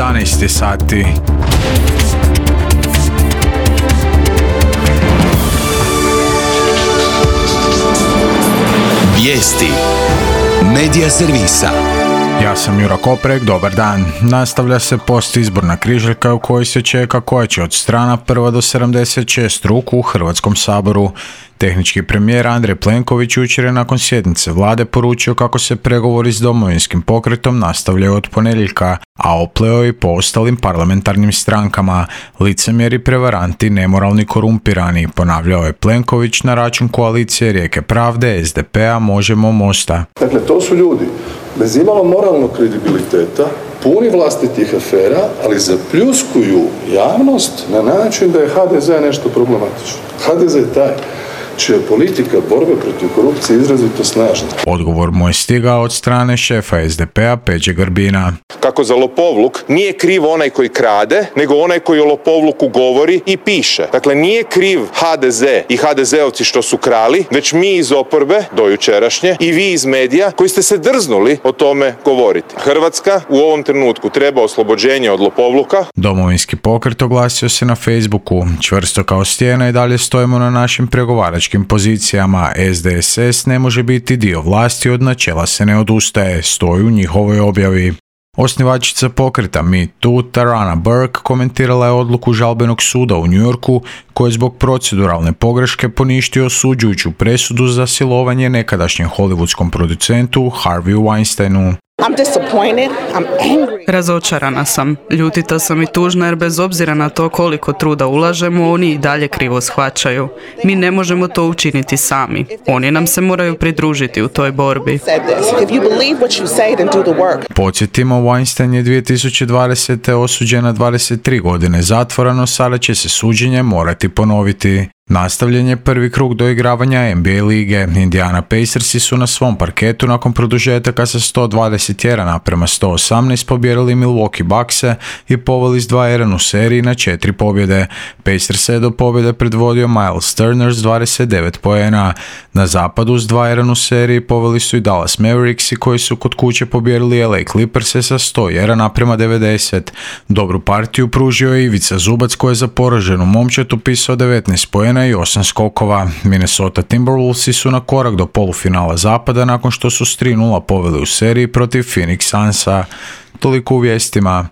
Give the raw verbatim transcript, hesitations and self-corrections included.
jedanaest sati. Vijesti Medija servisa. Ja sam Juro Koprek, dobar dan. Nastavlja se postizborna križaljka u kojoj se čeka koja će od strana prva do sedamdeset šest ruku u Hrvatskom saboru. Tehnički premijer Andrej Plenković jučer je nakon sjednice vlade poručio kako se pregovori s Domovinskim pokretom nastavljaju od ponedjeljka, a opleo i po ostalim parlamentarnim strankama. Licemjeri, prevaranti, nemoralni, korumpirani, ponavljao je Plenković na račun koalicije Rijeke pravde, es de pe a, Možemo, Mosta. Dakle, to su ljudi bez imalo moralnog kredibiliteta, puni vlastitih afera, ali zapljuskuju javnost na način da je ha de ze nešto problematično. ha de ze je taj čija je politika borbe protiv korupcije izrazito snažna. Odgovor mu je stigao od strane šefa es de pe a Peđe Grbina. Kako za lopovluk nije kriv onaj koji krade, nego onaj koji o lopovluku govori i piše. Dakle, nije kriv ha de ze i ha de zeovci što su krali, već mi iz oporbe, do jučerašnje, i vi iz medija koji ste se drznuli o tome govoriti. Hrvatska u ovom trenutku treba oslobođenje od lopovluka. Domovinski pokret oglasio se na Facebooku. Čvrsto kao stijena i dalje stojimo na našim pregovaračkim pozicijama. es de es es ne može biti dio vlasti, od načela se ne odustaje, stoji u njihovoj objavi. Osnivačica pokreta Me Too, Tarana Burke, komentirala je odluku žalbenog suda u New Yorku koji je zbog proceduralne pogreške poništio osuđujuću presudu za silovanje nekadašnjem hollywoodskom producentu Harveyu Weinsteinu. I'm disappointed, I'm angry. Razočarana sam, ljutita sam i tužna jer bez obzira na to koliko truda ulažemo, oni i dalje krivo shvaćaju. Mi ne možemo to učiniti sami. Oni nam se moraju pridružiti u toj borbi. Podsjetimo, Weinstein je dvije tisuće dvadesete osuđen na dvadeset tri godine zatvora, no sada će se suđenje morati ponoviti. Nastavljen je prvi krug doigravanja en be a lige. Indiana Pacersi su na svom parketu nakon produžetaka sa sto dvadeset jedan naprema sto osamnaest pobijedili Milwaukee Buckse i poveli s dva jedan u seriji na četiri pobjede. Pacers je do pobjede predvodio Miles Turner s dvadeset devet poena. Na zapadu s dva jedan u seriji poveli su i Dallas Mavericksi koji su kod kuće pobijedili el a Clipperse sa sto jedan naprema devedeset. Dobru partiju pružio je Ivica Zubac koji je za poraženu momčad upisao devetnaest poena i osam skokova. Minnesota Timberwolvesi su na korak do polufinala zapada nakon što su s tri nula poveli u seriji protiv Phoenix Sunsa. Toliko u vijestima.